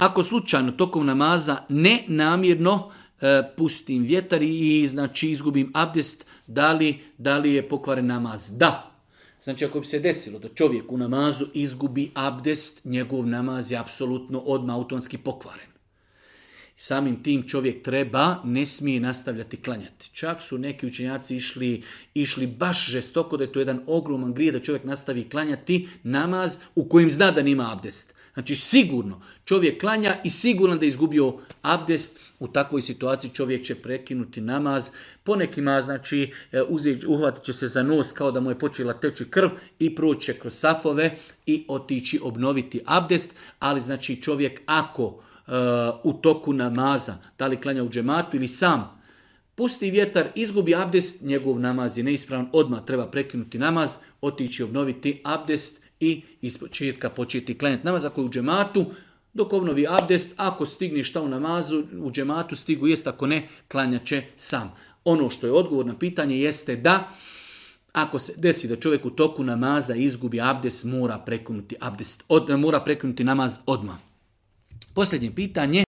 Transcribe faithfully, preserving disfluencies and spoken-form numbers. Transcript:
Ako slučajno tokom namaza ne namjerno e, pustim vjetar i znači izgubim abdest, da li, da li je pokvaren namaz? Da. Znači ako bi se desilo da čovjek u namazu izgubi abdest, njegov namaz je apsolutno odmah automatski pokvaren. Samim tim čovjek treba, ne smije nastavljati klanjati. Čak su neki učenjaci išli, išli baš žestoko da je to jedan ogroman grije da čovjek nastavi klanjati namaz u kojem zna da nima abdest. Znači sigurno čovjek klanja i sigurno da je izgubio abdest. U takvoj situaciji čovjek će prekinuti namaz. Ponekima znači uhvatit će se za nos kao da mu je počela teći krv i proći će kroz safove i otići obnoviti abdest. Ali znači čovjek ako uh, u toku namaza, da li klanja u džematu ili sam, pusti vjetar, izgubi abdest, njegov namaz je neispravan, odmah treba prekinuti namaz, otići obnoviti abdest i iz početka početi klanjati namaz. Ako je u džematu, dok obnovi abdest, ako stigne šta u namazu, u džematu stigu jest, ako ne, klanjat će sam. Ono što je odgovor na pitanje jeste da ako se desi da čovjek u toku namaza izgubi abdest, mora prekinuti abdest, od, mora prekinuti namaz odmah. Posljednje pitanje.